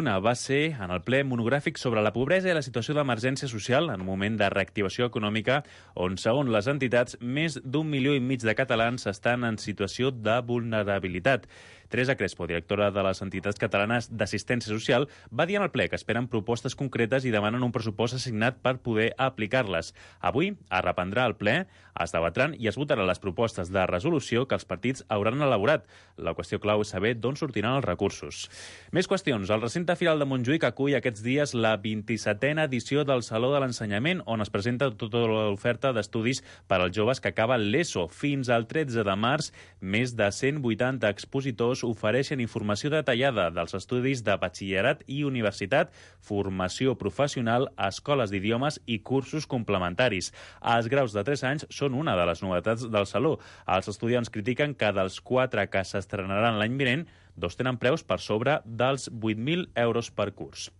Una va ser en el ple monogràfic sobre la pobresa i la situació d'emergència social en un moment de reactivació econòmica on, segons les entitats, més d'1,5 milió de catalans estan en situació de vulnerabilitat. Teresa Crespo, directora de les entitats catalanes d'assistència social, va dir en el ple que esperen propostes concretes i demanen un pressupost assignat per poder aplicar-les. Avui es reprendrà el ple, es debatran i es votaran les propostes de resolució que els partits hauran elaborat. La qüestió clau és saber d'on sortiran els recursos. Més qüestions. El recinte Firal de Montjuïc acull aquests dies la 27a edició del Saló de l'Ensenyament, on es presenta tota l'oferta d'estudis per als joves que acaben l'ESO. Fins al 13 de març, més de 180 expositors ofereixen informació detallada dels estudis de batxillerat i universitat, formació professional, escoles d'idiomes i cursos complementaris. Els graus de 3 anys són una de les novetats del Saló. Els estudiants critiquen que dels 4 que s'estrenaran l'any vinent, 2 tenen preus per sobre dels 8.000 euros per curs.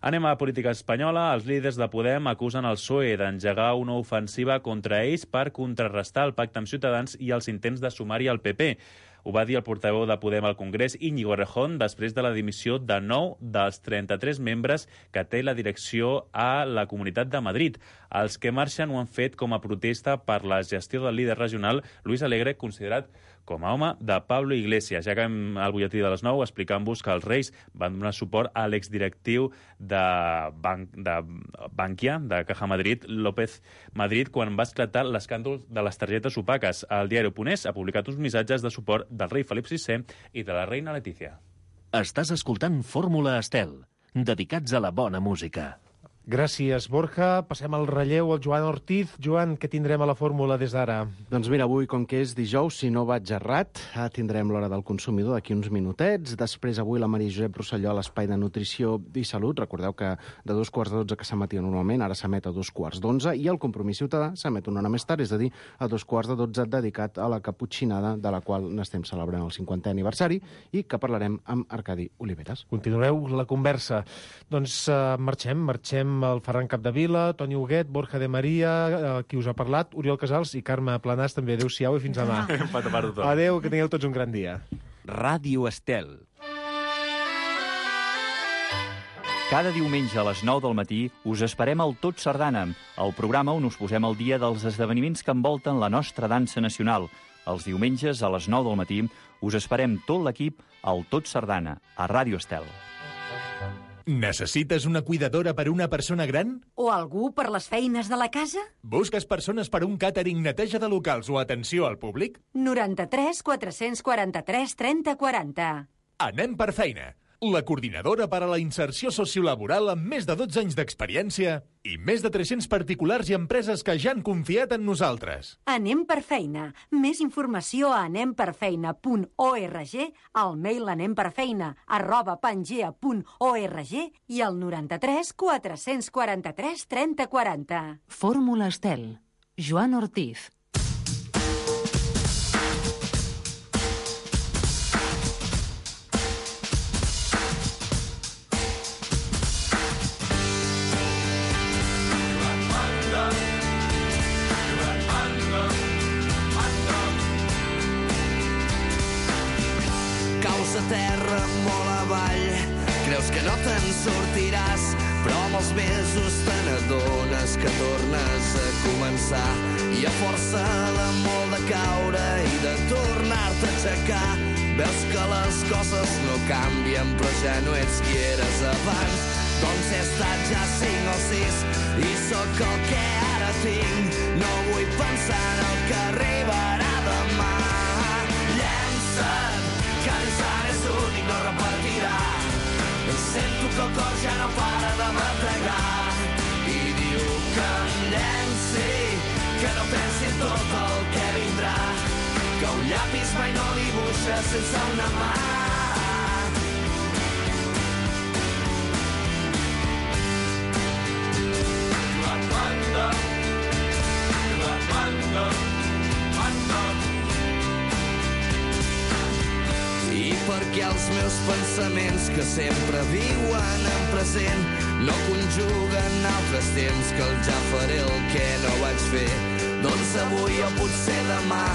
Anem a la política espanyola. Els líders de Podem acusen el PSOE d'engegar una ofensiva contra ells per contrarrestar el pacte amb Ciutadans i els intents de sumar-hi al PP. Ho va dir el portaveu de Podem al Congrés, Íñigo Errejón, després de la dimissió de 9 dels 33 membres que té la direcció a la Comunitat de Madrid. Els que marxen ho han fet com a protesta per la gestió del líder regional, Luis Alegre, considerat com a home de Pablo Iglesias. Ja acabem al butlletí de les 9 explicant-vos que els Reis van donar suport a l'exdirectiu de Bankia, de Caja Madrid, López Madrid, quan va esclatar l'escàndol de les targetes opaques. El diari Oponés ha publicat uns missatges de suport del rei Felip VI i de la reina Letícia. Estàs escoltant Fórmula Estel, dedicats a la bona música. Gràcies, Borja. Passem al relleu al Joan Ortiz. Joan, què tindrem a la fórmula des d'ara? Doncs mira, avui, com que és dijous, si no vaig errat, tindrem l'hora del consumidor d'aquí uns minutets. Després, avui, la Maria Josep Rosselló a l'Espai de Nutrició i Salut. Recordeu que de 2:15 que s'emetia normalment, ara s'emet a 2:11, i el Compromís Ciutadà s'emet una hora més tard, és a dir, a 2:12, dedicat a la caputxinada, de la qual n'estem celebrant el 50è aniversari i que parlarem amb Arcadi Oliveres. Continueu la conversa. Doncs marxem el Ferran Capdevila, Toni Huguet, Borja de Maria, qui us ha parlat, Oriol Casals i Carme Planàs també. Adéu-siau i fins demà. Adéu, que tingueu tots un gran dia. Ràdio Estel. Cada diumenge a les 9 del matí us esperem al Tot Sardana, el programa on us posem al dia dels esdeveniments que envolten la nostra dansa nacional. Els diumenges a les 9 del matí us esperem tot l'equip al Tot Sardana, a Ràdio Estel. Necessites una cuidadora per una persona gran? O algú per les feines de la casa? Busques persones per un càtering, neteja de locals o atenció al públic? 93 443 30 40. Anem per feina. La coordinadora per a la inserció sociolaboral amb més de 12 anys d'experiència i més de 300 particulars i empreses que ja han confiat en nosaltres. Anem per feina. Més informació a anemperfeina.org, al mail anemperfeina@pangea.org i al 93 443 30 40. Fórmula Estel. Joan Ortiz. A terra molt avall, creus que no te'n sortiràs, però amb els mesos te n'adones que tornes a començar i a força de molt de caure i de tornar-te a aixecar veus que les coses no canvien però ja no ets qui eres abans. Doncs he estat ja 5 o 6 i sóc el que ara tinc, no vull pensar en el que arribarà demà. Llença't, que l'instant és únic, no repetirà. Sento que el cor ja no para de bategar i diu que em llenci, que no pensi en tot el que vindrà, que un llapis mai no dibuixa sense una mà. I perquè els meus pensaments que sempre viuen en present no conjuguen altres temps que el ja faré el que no vaig fer, doncs avui o potser demà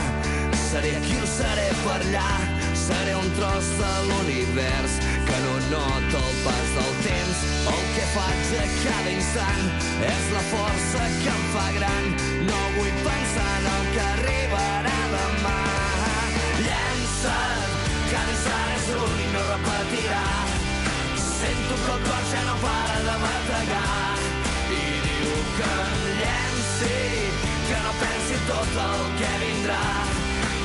seré aquí o seré per allà, seré un tros de l'univers que no nota el pas del instant és la força que em fa gran. No vull pensar en el que arribarà demà. Llença't, que l'instant és únic, no repetirà. Sento que el cor ja no para de bategar i diu que em llenci, que no pensi tot el que vindrà,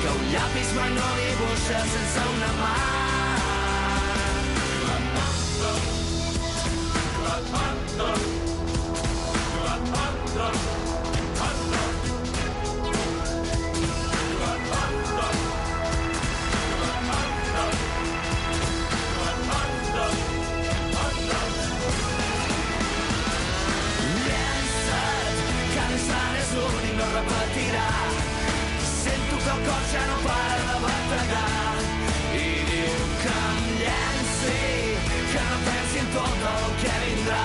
que un llapis mai no dibuixa sense una mà. No repetirà. Sento que el cor ja no para de bategar i diu que em llenci, que no pensi en tot el que vindrà,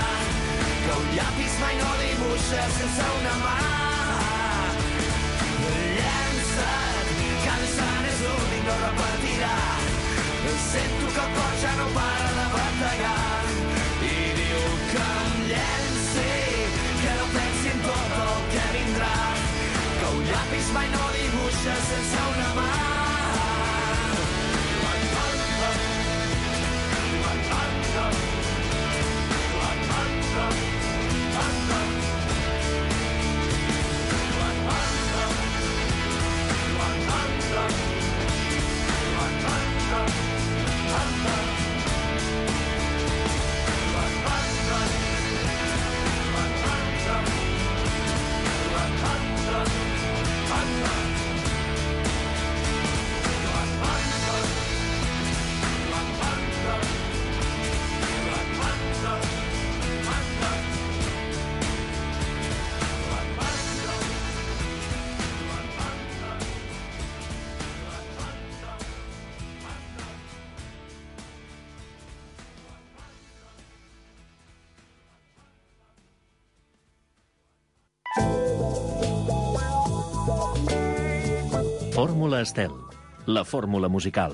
que un llapis mai no dibuixa sense una mà. Llença't, que l'instant és únic, no repetirà. Sento que el cor ja no para de bategar i diu que em llenci, que no pensi en tot el que vindrà, que un llapis mai no dibuixa sense una mà. Fórmula Estel, la fórmula musical.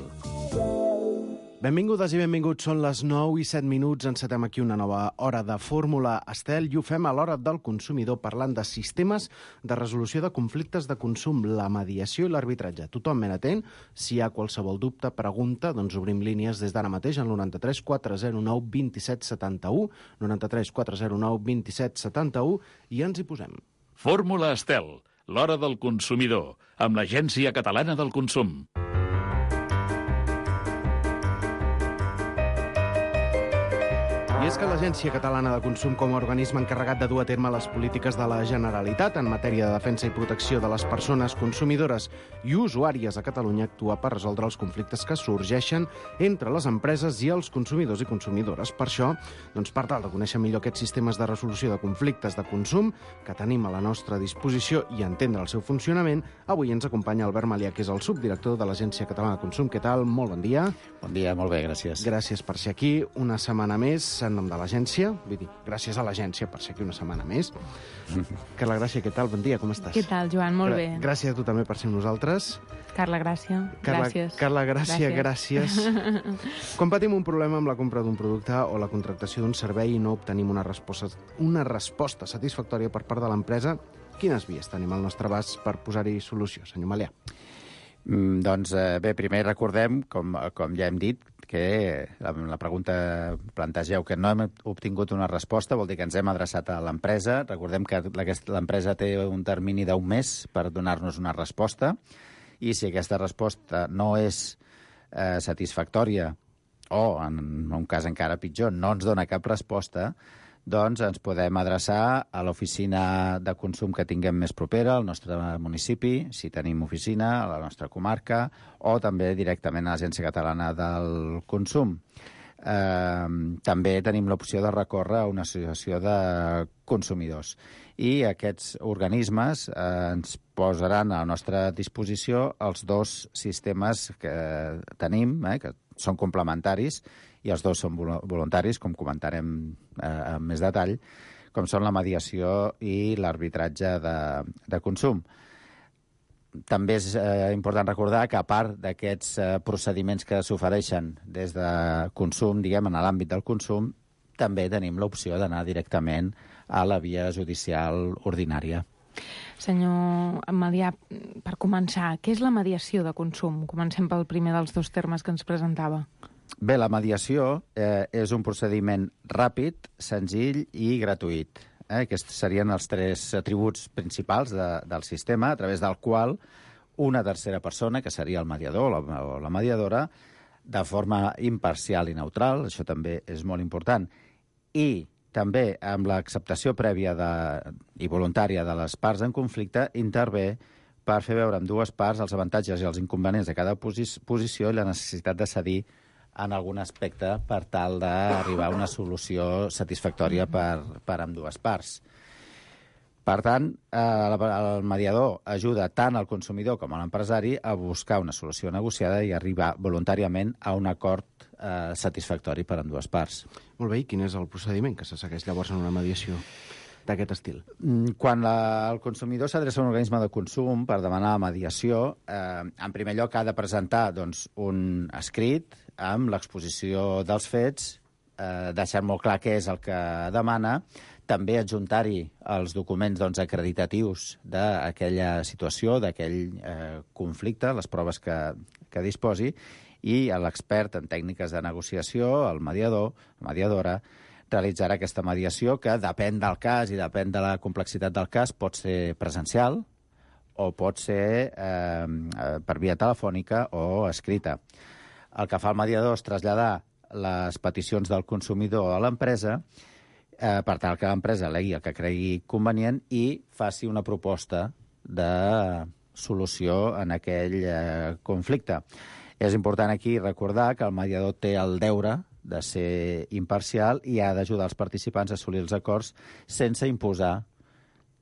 Benvingudes i benvinguts, són les 9:07. Encetem aquí una nova hora de Fórmula Estel i ho fem a l'hora del consumidor parlant de sistemes de resolució de conflictes de consum, la mediació i l'arbitratge. Tothom ben atent, si hi ha qualsevol dubte, pregunta, doncs obrim línies des d'ara mateix al 93 409 27 71, 93 409 27 71 i ens hi posem. Fórmula Estel, l'hora del consumidor, amb l'Agència Catalana del Consum. I és que l'Agència Catalana de Consum, com a organisme encarregat de dur a terme les polítiques de la Generalitat en matèria de defensa i protecció de les persones consumidores i usuàries a Catalunya, actua per resoldre els conflictes que sorgeixen entre les empreses i els consumidors i consumidores. Per això, doncs, per tal de conèixer millor aquests sistemes de resolució de conflictes de consum que tenim a la nostra disposició i entendre el seu funcionament, avui ens acompanya Albert Malià, que és el subdirector de l'Agència Catalana de Consum. Què tal? Molt bon dia. Bon dia, molt bé, gràcies. Gràcies per ser aquí una setmana més en nom de l'agència, vull dir, gràcies a l'agència per ser aquí una setmana més. Carla Gràcia, què tal? Bon dia, com estàs? Què tal, Joan? Molt bé. Gràcies a tu també per ser amb nosaltres. Carla Gràcia, gràcies. Carla Gràcia, gràcies. Quan patim un problema amb la compra d'un producte o la contractació d'un servei i no obtenim una resposta satisfactòria per part de l'empresa, quines vies tenim al nostre abast per posar-hi solució, senyor Malià? Doncs bé, primer recordem, com ja hem dit, que la pregunta plantegeu que no hem obtingut una resposta, vol dir que ens hem adreçat a l'empresa. Recordem que l'empresa té un termini d'un mes per donar-nos una resposta i si aquesta resposta no és satisfactòria o, en un cas encara pitjor, no ens dona cap resposta, doncs ens podem adreçar a l'oficina de consum que tinguem més propera, al nostre municipi, si tenim oficina, a la nostra comarca, o també directament a l'Agència Catalana del Consum. També tenim l'opció de recórrer a una associació de consumidors. I aquests organismes ens posaran a la nostra disposició els dos sistemes que tenim, que són complementaris, i els dos són voluntaris, com comentarem amb més detall, com són la mediació i l'arbitratge de consum. També és important recordar que, a part d'aquests procediments que s'ofereixen des de consum, diguem, en l'àmbit del consum, també tenim l'opció d'anar directament a la via judicial ordinària. Senyor Medià, per començar, què és la mediació de consum? Comencem pel primer dels dos termes que ens presentava. Bé, la mediació és un procediment ràpid, senzill i gratuït. Aquests serien els 3 atributs principals del sistema, a través del qual una tercera persona, que seria el mediador o la mediadora, de forma imparcial i neutral, això també és molt important, i també amb l'acceptació prèvia i voluntària de les parts en conflicte, intervé per fer veure amb dues parts els avantatges i els inconvenients de cada posició i la necessitat de cedir en algun aspecte per tal d'arribar a una solució satisfactòria per ambdues parts. Per tant, el mediador ajuda tant al consumidor com a l'empresari a buscar una solució negociada i arribar voluntàriament a un acord satisfactori per ambdues parts. Molt bé, i quin és el procediment que se segueix llavors en una mediació d'aquest estil? Quan el consumidor s'adreça a un organisme de consum per demanar mediació, en primer lloc ha de presentar un escrit amb l'exposició dels fets, deixant molt clar què és el que demana, també adjuntar-hi els documents acreditatius d'aquella situació, d'aquell conflicte, les proves que disposi, i l'expert en tècniques de negociació, el mediador, la mediadora, realitzarà aquesta mediació que depèn del cas i depèn de la complexitat del cas, pot ser presencial o pot ser per via telefònica o escrita. El que fa el mediador és traslladar les peticions del consumidor a l'empresa per tal que l'empresa alegui el que cregui convenient i faci una proposta de solució en aquell conflicte. És important aquí recordar que el mediador té el deure de ser imparcial i ha d'ajudar els participants a assolir els acords sense imposar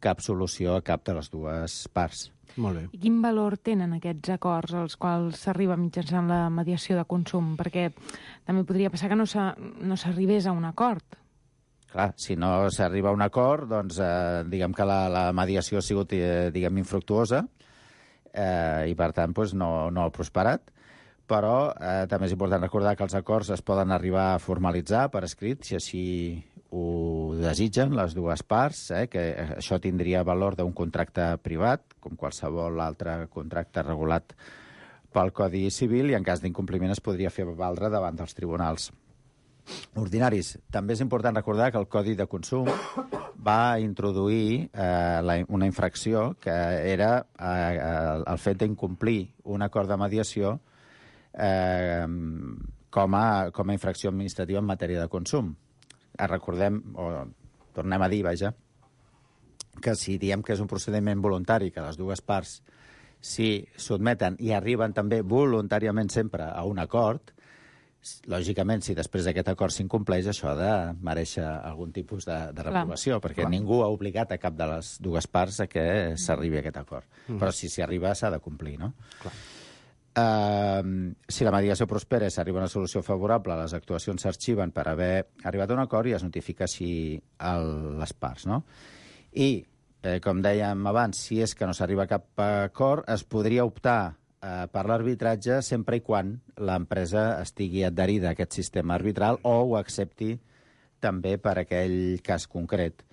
cap solució a cap de les dues parts. Molt bé. I quin valor tenen aquests acords als quals s'arriba mitjançant la mediació de consum? Perquè també podria passar que no s'arribés a un acord. Clar, si no s'arriba a un acord, doncs diguem que la mediació ha sigut infructuosa i per tant no ha prosperat. Però també és important recordar que els acords es poden arribar a formalitzar per escrit, si així ho desitgen les dues parts, que això tindria valor d'un contracte privat, com qualsevol altre contracte regulat pel Codi Civil, i en cas d'incompliment es podria fer valdre davant dels tribunals ordinaris. També és important recordar que el Codi de Consum va introduir una infracció que era el fet d'incomplir un acord de mediació com a infracció administrativa en matèria de consum. Recordem, o tornem a dir, que si diem que és un procediment voluntari, que les dues parts s'hi sotmeten i arriben també voluntàriament sempre a un acord, lògicament, si després d'aquest acord s'incompleix, això ha de mereixer algun tipus de reprovació, perquè ningú ha obligat a cap de les dues parts a que s'arribi a aquest acord. Però si s'hi arriba, s'ha de complir, no? Clar. Si la mediació prospera i s'arriba a una solució favorable, les actuacions s'arxiven per haver arribat a un acord i es notifica així a les parts, no? I, com dèiem abans, si és que no s'arriba a cap acord, es podria optar per l'arbitratge sempre i quan l'empresa estigui adherida a aquest sistema arbitral o ho accepti també per aquell cas concret.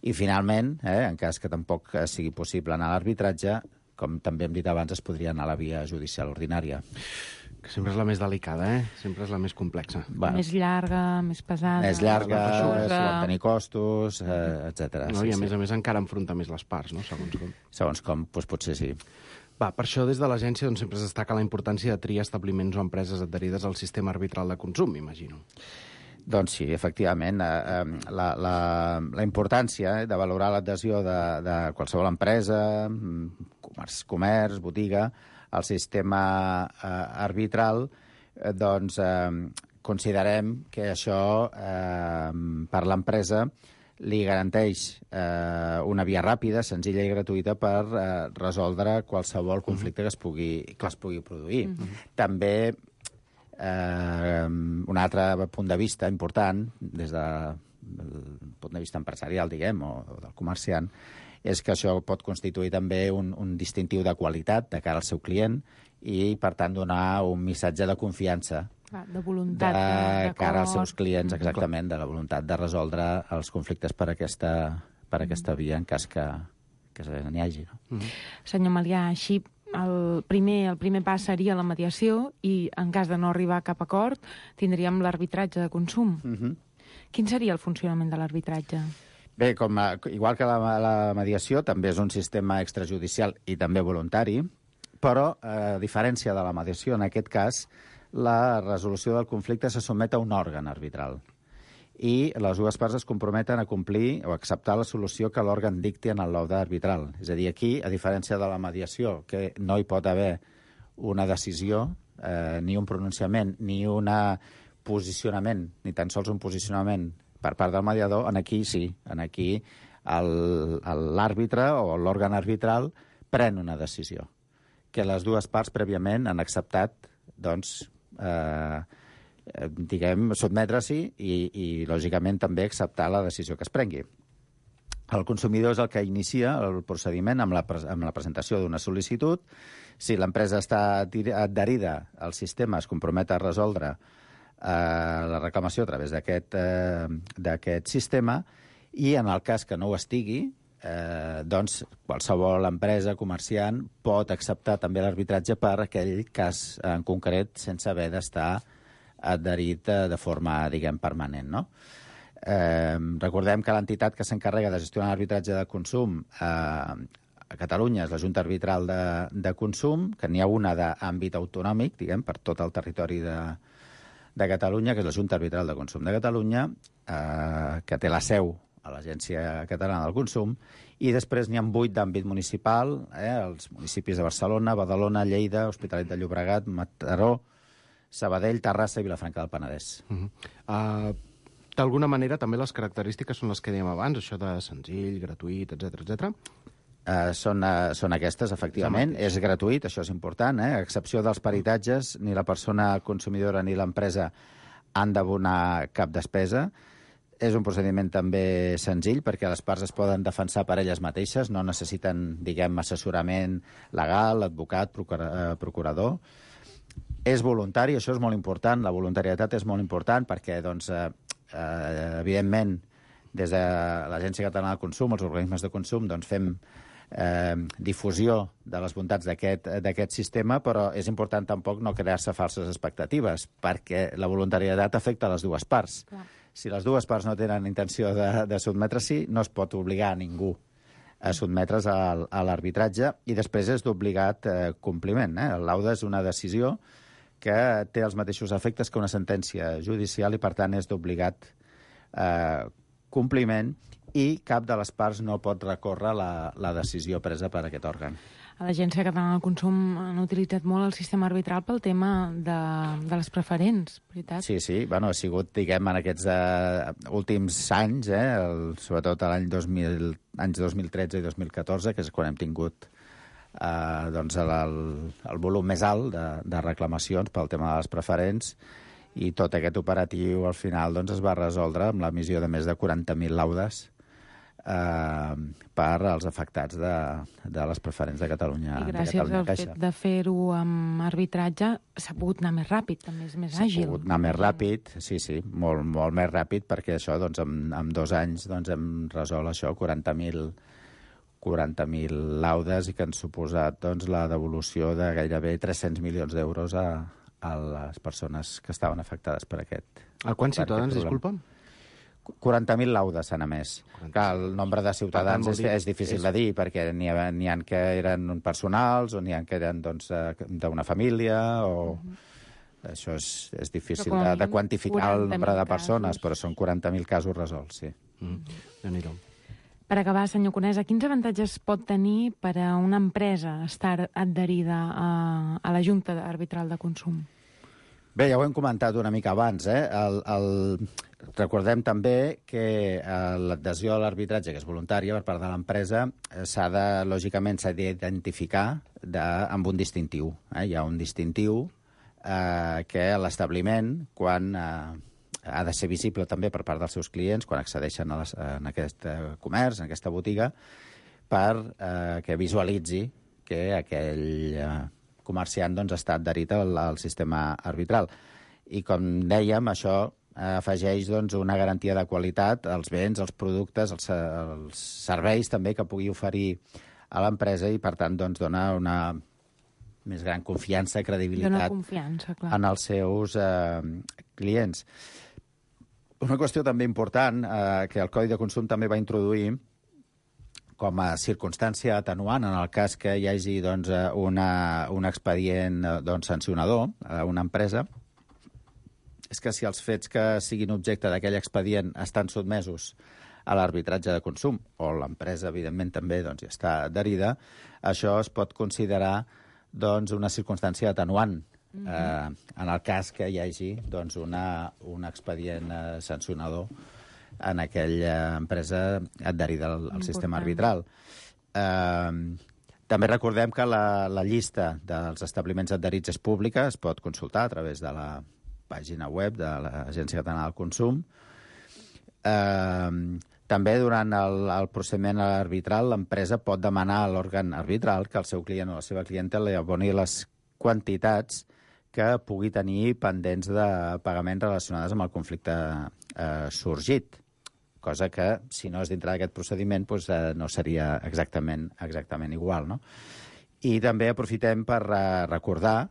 I, finalment, en cas que tampoc sigui possible anar a l'arbitratge, com també hem dit abans, es podria anar a la via judicial ordinària. Que sempre és la més delicada, Sempre és la més complexa. Més llarga, més pesada. Més llarga, pot tenir costos, etc. No, I a més encara enfronta més les parts, no? Segons com. Segons com, doncs potser sí. Per això des de l'agència sempre es destaca la importància de triar establiments o empreses adherides al sistema arbitral de consum, m'imagino. Doncs sí, efectivament. La importància de valorar l'adhesió de qualsevol empresa, comerç, botiga, al sistema arbitral, doncs considerem que això per l'empresa li garanteix una via ràpida, senzilla i gratuïta per resoldre qualsevol conflicte que es pugui produir. També un altre punt de vista important, des del punt de vista empresarial, diguem, o del comerciant, és que això pot constituir també un distintiu de qualitat de cara al seu client i, per tant, donar un missatge de confiança De voluntat de cara als seus clients, exactament, de la voluntat de resoldre els conflictes per aquesta via en cas que n'hi hagi. No? Senyor Melià, així el primer pas seria la mediació i en cas de no arribar a cap acord tindríem l'arbitratge de consum. Quin seria el funcionament de l'arbitratge? Bé, igual que la mediació, també és un sistema extrajudicial i també voluntari, però, a diferència de la mediació, en aquest cas, la resolució del conflicte se sotmet a un òrgan arbitral i les dues parts es comprometen a complir o acceptar la solució que l'òrgan dicti en el laude arbitral. És a dir, aquí, a diferència de la mediació, que no hi pot haver una decisió, ni un pronunciament, ni un posicionament, ni tan sols un posicionament per part del mediador, aquí sí. Aquí l'àrbitre o l'òrgan arbitral pren una decisió que les dues parts prèviament han acceptat, doncs, sotmetre-s'hi i, lògicament, també acceptar la decisió que es prengui. El consumidor és el que inicia el procediment amb la presentació d'una sol·licitud. Si l'empresa està adherida al sistema, es compromet a resoldre la reclamació a través d'aquest sistema i, en el cas que no ho estigui, doncs qualsevol empresa, comerciant, pot acceptar també l'arbitratge per aquell cas en concret sense haver d'estar adherit de forma, permanent, no? Recordem que l'entitat que s'encarrega de gestionar l'arbitratge de consum a Catalunya és la Junta Arbitral de Consum, que n'hi ha una d'àmbit autonòmic, per tot el territori de Catalunya, que és la Junta Arbitral de Consum de Catalunya, que té la seu a l'Agència Catalana del Consum, i després n'hi ha 8 d'àmbit municipal, els municipis de Barcelona, Badalona, Lleida, Hospitalet de Llobregat, Mataró, Sabadell, Terrassa i Vilafranca del Penedès. D'alguna manera, també les característiques són les que dèiem abans, això de senzill, gratuït, etc. Són aquestes, efectivament. És gratuït, això és important. A excepció dels peritatges, ni la persona consumidora ni l'empresa han d'abonar cap despesa. És un procediment també senzill perquè les parts es poden defensar per elles mateixes, no necessiten, assessorament legal, advocat, procurador. És voluntari, això és molt important, la voluntarietat és molt important perquè, evidentment, des de l'Agència Catalana del Consum, els organismes de consum, fem difusió de les bondats d'aquest sistema, però és important tampoc no crear-se falses expectatives, perquè la voluntarietat afecta a les dues parts. Clar. Si les dues parts no tenen intenció de sotmetre-s'hi, no es pot obligar a ningú a sotmetre's a l'arbitratge i després és d'obligat compliment. El laude és una decisió que té els mateixos efectes que una sentència judicial i, per tant, és d'obligat compliment i cap de les parts no pot recórrer la decisió presa per aquest òrgan. A l'Agència Catalana del Consum han utilitzat molt el sistema arbitral pel tema de les preferents, veritat? Sí, ha sigut, en aquests últims anys, sobretot l'any 2013 i 2014, que és quan hem tingut el volum més alt de reclamacions pel tema de les preferents, i tot aquest operatiu al final es va resoldre amb l'emissió de més de 40.000 laudes per als afectats de les preferents de Catalunya. I gràcies al fet de fer-ho amb arbitratge s'ha pogut anar més ràpid, també és més àgil. S'ha pogut anar més ràpid, sí, molt més ràpid, perquè això, en 2 anys hem resolt això, 40.000 laudes i que han suposat la devolució de gairebé 300 milions d'euros a les persones que estaven afectades per aquest. A quants ciutadans, disculpa? 40.000 laudes s'han emès. Clar, el nombre de ciutadans és difícil de dir, perquè n'hi ha que eren personals, o n'hi ha que eren d'una família, o... Això és difícil de quantificar el nombre de persones, però són 40.000 casos resolts, sí. Déu-n'hi-do. Per acabar, senyor Conesa, quins avantatges pot tenir per a una empresa estar adherida a la Junta Arbitral de Consum? Bé, ja ho hem comentat una mica abans. Recordem també que l'adhesió a l'arbitratge, que és voluntària per part de l'empresa, lògicament s'ha d'identificar amb un distintiu. Hi ha un distintiu que l'establiment, quan ha de ser visible també per part dels seus clients, quan accedeixen en aquest comerç, en aquesta botiga, que visualitzi que aquell comerciant està adherit al sistema arbitral. I, com dèiem, això afegeix doncs, una garantia de qualitat als béns, als productes, als serveis també que pugui oferir a l'empresa i, per tant, doncs, dona una més gran confiança i credibilitat en els seus clients. Una qüestió també important que el Codi de Consum també va introduir com a circumstància atenuant en el cas que hi hagi doncs, un expedient sancionador a una empresa, és que si els fets que siguin objecte d'aquell expedient estan sotmesos a l'arbitratge de consum, o l'empresa, evidentment, també doncs, ja està adherida, això es pot considerar doncs, una circumstància atenuant en el cas que hi hagi doncs, un expedient sancionador en aquella empresa adherida al sistema arbitral. També recordem que la llista dels establiments adherits és pública, es pot consultar a través de la pàgina web de l'Agència Catalana del Consum. També durant el procediment arbitral l'empresa pot demanar a l'òrgan arbitral que el seu client o la seva clienta li aboni les quantitats que pugui tenir pendents de pagament relacionades amb el conflicte sorgit, cosa que, si no és dintre d'aquest procediment, doncs, no seria exactament igual. No? I també aprofitem per recordar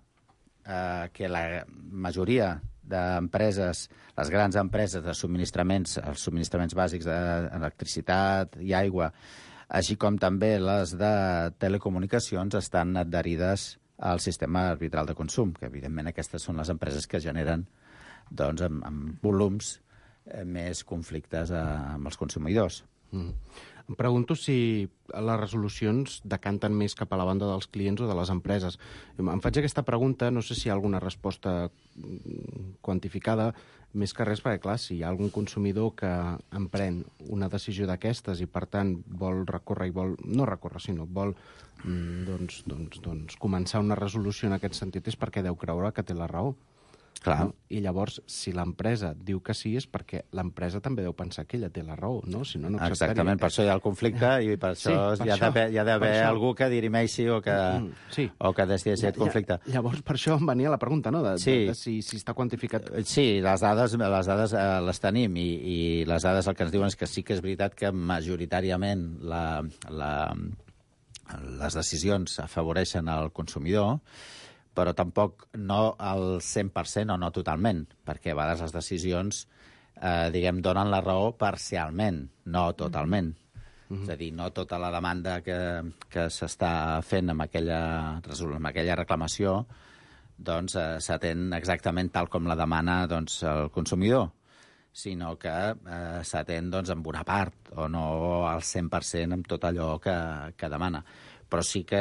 que la majoria d'empreses, les grans empreses de subministraments, els subministraments bàsics d'electricitat i aigua, així com també les de telecomunicacions, estan adherides al sistema arbitral de consum, que evidentment aquestes són les empreses que generen doncs, amb volums més conflictes amb els consumidors. Em pregunto si les resolucions decanten més cap a la banda dels clients o de les empreses. Em faig aquesta pregunta, no sé si hi ha alguna resposta quantificada, més que res perquè, clar, si hi ha algun consumidor que emprèn una decisió d'aquestes i, per tant, vol recórrer i vol... no recórrer, sinó vol començar una resolució en aquest sentit és perquè deu creure que té la raó. Clar. No? I llavors, si l'empresa diu que sí, és perquè l'empresa també deu pensar que ella té la raó, no? Si no, no acceptaria. Exactament, per això hi ha el conflicte i per això hi ha d'haver algú que dirimeixi o que decideixi el conflicte. Llavors, per això em venia la pregunta, no?, de si està quantificat. Sí, les dades les tenim i les dades el que ens diuen és que sí que és veritat que majoritàriament les decisions afavoreixen el consumidor, però tampoc no al 100% o no totalment, perquè a vegades les decisions, donen la raó parcialment, no totalment. És a dir, no tota la demanda que s'està fent amb aquella reclamació doncs s'atén exactament tal com la demana doncs, el consumidor, sinó que s'atén doncs, amb una part o no al 100% amb tot allò que demana. Però sí que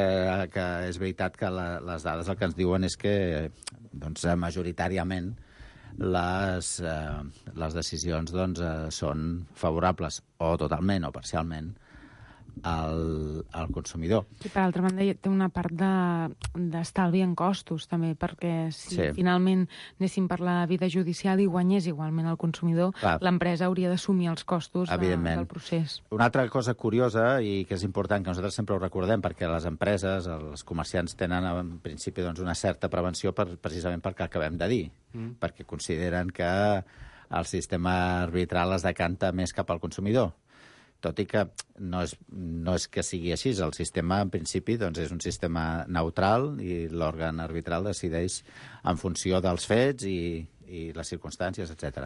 és veritat que les dades el que ens diuen és que doncs, majoritàriament les decisions doncs, són favorables o totalment o parcialment al consumidor. I per altra banda té una part d'estalvi en costos també, perquè si finalment anéssim per la vida judicial i guanyés igualment el consumidor, l'empresa hauria d'assumir els costos del procés. Una altra cosa curiosa i que és important, que nosaltres sempre ho recordem, perquè les empreses, els comerciants tenen en principi doncs, una certa prevenció precisament perquè acabem de dir, perquè consideren que el sistema arbitral es decanta més cap al consumidor. Tot i que no és que sigui així. El sistema, en principi, doncs, és un sistema neutral i l'òrgan arbitral decideix en funció dels fets i les circumstàncies, etc.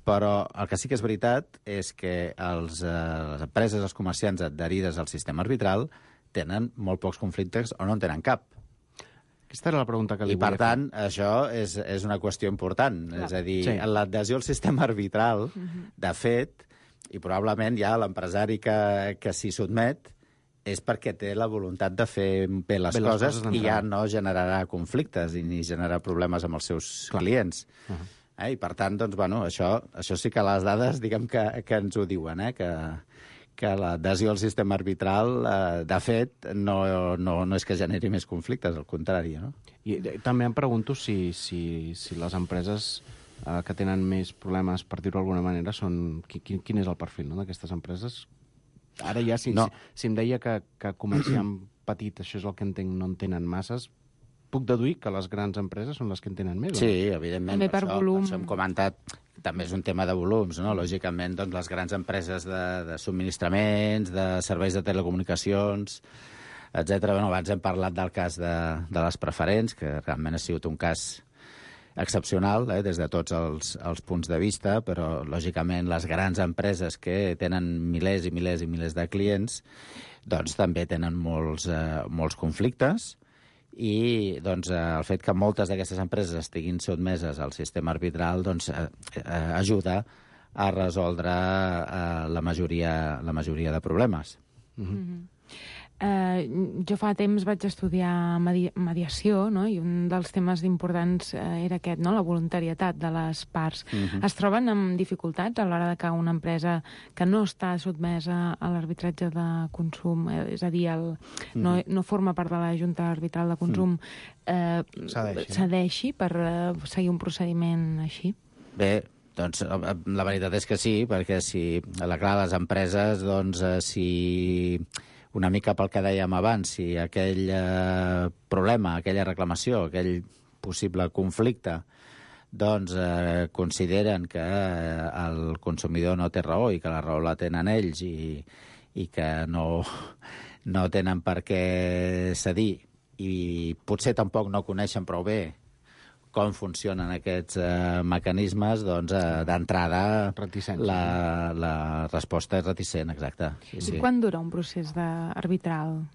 Però el que sí que és veritat és que les empreses, els comerciants adherides al sistema arbitral tenen molt pocs conflictes o no en tenen cap. Aquesta era la pregunta que li volia fer. I, per tant, això és una qüestió important. És a dir, l'adhesió al sistema arbitral, de fet, i probablement ja l'empresari que s'hi sotmet és perquè té la voluntat de fer bé les coses i ja no generarà conflictes ni generarà problemes amb els seus clients. I per tant, doncs, bueno, això sí que les dades, diguem que ens ho diuen, que l'adhesió al sistema arbitral, de fet, no és que generi més conflictes, al contrari. No? I també em pregunto si les empreses que tenen més problemes, per dir-ho d'alguna manera, són... Quin és el perfil d'aquestes empreses? Ara ja, si em deia que comerciant petit, això és el que entenc, no en tenen masses, puc deduir que les grans empreses són les que en tenen més. Sí, evidentment. També per volum. Això hem comentat, també és un tema de volums, no? Lògicament, doncs, les grans empreses de subministraments, de serveis de telecomunicacions, etc. Bueno, abans hem parlat del cas de les preferents, que realment ha sigut un cas excepcional, des de tots els punts de vista, però, lògicament, les grans empreses que tenen milers i milers i milers de clients, doncs també tenen molts conflictes, i doncs, el fet que moltes d'aquestes empreses estiguin sotmeses al sistema arbitral doncs, ajuda a resoldre la majoria de problemes. Jo fa temps vaig estudiar mediació, no? I un dels temes importants era aquest, no? La voluntarietat de les parts. Es troben amb dificultats a l'hora de que una empresa que no està sotmesa a l'arbitratge de consum, és a dir, no forma part de la Junta Arbitral de Consum, cedeixi per seguir un procediment així? Bé, doncs la veritat és que sí, perquè si les empreses, doncs, si una mica pel que dèiem abans, si aquell problema, aquella reclamació, aquell possible conflicte, doncs consideren que el consumidor no té raó i que la raó la tenen ells i que no tenen per què cedir i potser tampoc no coneixen prou bé com funcionen aquests mecanismes, doncs, d'entrada la resposta és reticent, exacte. I quant dura un procés arbitral,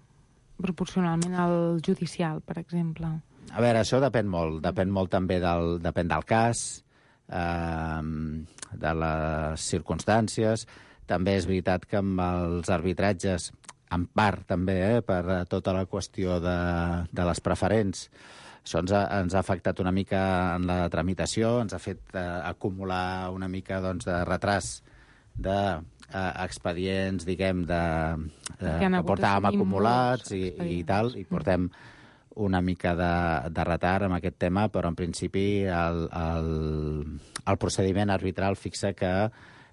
proporcionalment al judicial, per exemple? A veure, això depèn molt també depèn del cas, de les circumstàncies. També és veritat que amb els arbitratges, en part també, per tota la qüestió de les preferents, això ens ha afectat una mica en la tramitació, ens ha fet acumular una mica doncs, de retras d'expedients, diguem, que portàvem acumulats i tal, i portem una mica de retard amb aquest tema, però en principi el procediment arbitral fixa que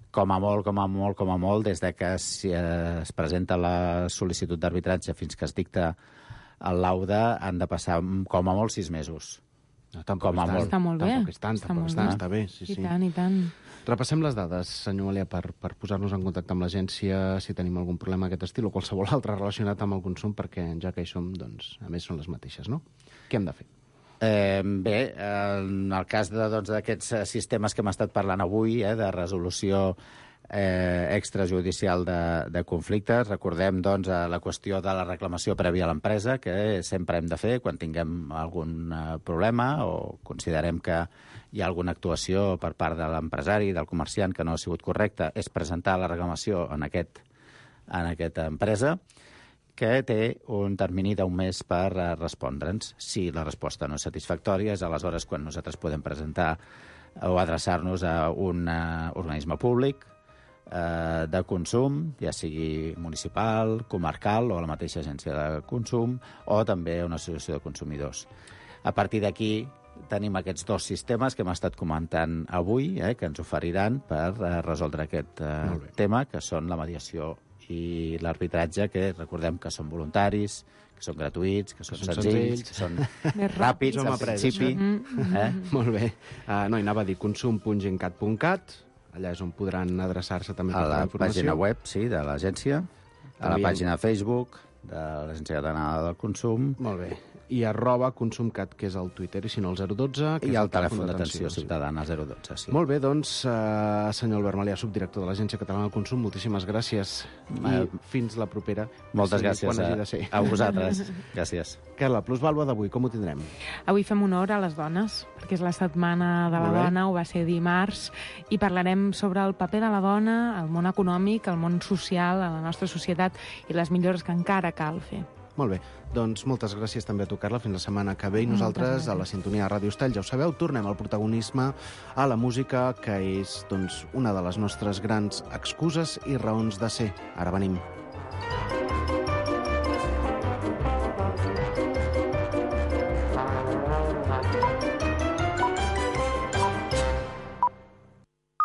com a molt, des de que es presenta la sol·licitud d'arbitratge fins que es dicta el laude, han de passar com a molt 6 mesos. Està molt bé. Està bé, sí. I tant. Repassem les dades, senyor Alià, per posar-nos en contacte amb l'agència si tenim algun problema d'aquest estil o qualsevol altre relacionat amb el consum, perquè ja que hi som, doncs, a més són les mateixes, no? Què hem de fer? Bé, en el cas d'aquests sistemes que hem estat parlant avui, de resolució extrajudicial de conflictes. Recordem, doncs, la qüestió de la reclamació prèvia a l'empresa, que sempre hem de fer quan tinguem algun problema o considerem que hi ha alguna actuació per part de l'empresari, del comerciant, que no ha sigut correcta, és presentar la reclamació en aquesta empresa, que té un termini d'1 mes per respondre'ns. Si la resposta no és satisfactòria, és aleshores quan nosaltres podem presentar o adreçar-nos a un organisme públic de consum, ja sigui municipal, comarcal o la mateixa agència de consum, o també una associació de consumidors. A partir d'aquí tenim aquests 2 sistemes que hem estat comentant avui, que ens oferiran per resoldre aquest tema, que són la mediació i l'arbitratge, que recordem que són voluntaris, que són gratuïts, que són senzills, que són ràpids, al principi. Molt bé. No, i anava a dir consum.gencat.cat, allà és on podran adreçar-se també a la pàgina web, sí, de l'agència, a la pàgina de Facebook de l'Agència Catalana del Consum. Molt bé. I @consumcat, que és el Twitter, i si no el 012... I el telèfon d'atenció ciutadana, 012, sí. Molt bé, doncs, senyor Albert Malià, subdirector de l'Agència Catalana del Consum, moltíssimes gràcies i fins la propera. Moltes gràcies a vosaltres. Gràcies. Carla, Plusvàlua d'avui, com ho tindrem? Avui fem honor a les dones, perquè és la setmana de la dona, ho va ser dimarts, i parlarem sobre el paper de la dona, el món econòmic, el món social, a la nostra societat i les millores que encara cal fer. Molt bé, doncs moltes gràcies també a tu, Carla. Fins la setmana que ve. I nosaltres, a la sintonia de Ràdio Estall, ja ho sabeu, tornem al protagonisme, a la música, que és doncs, una de les nostres grans excuses i raons de ser. Ara venim.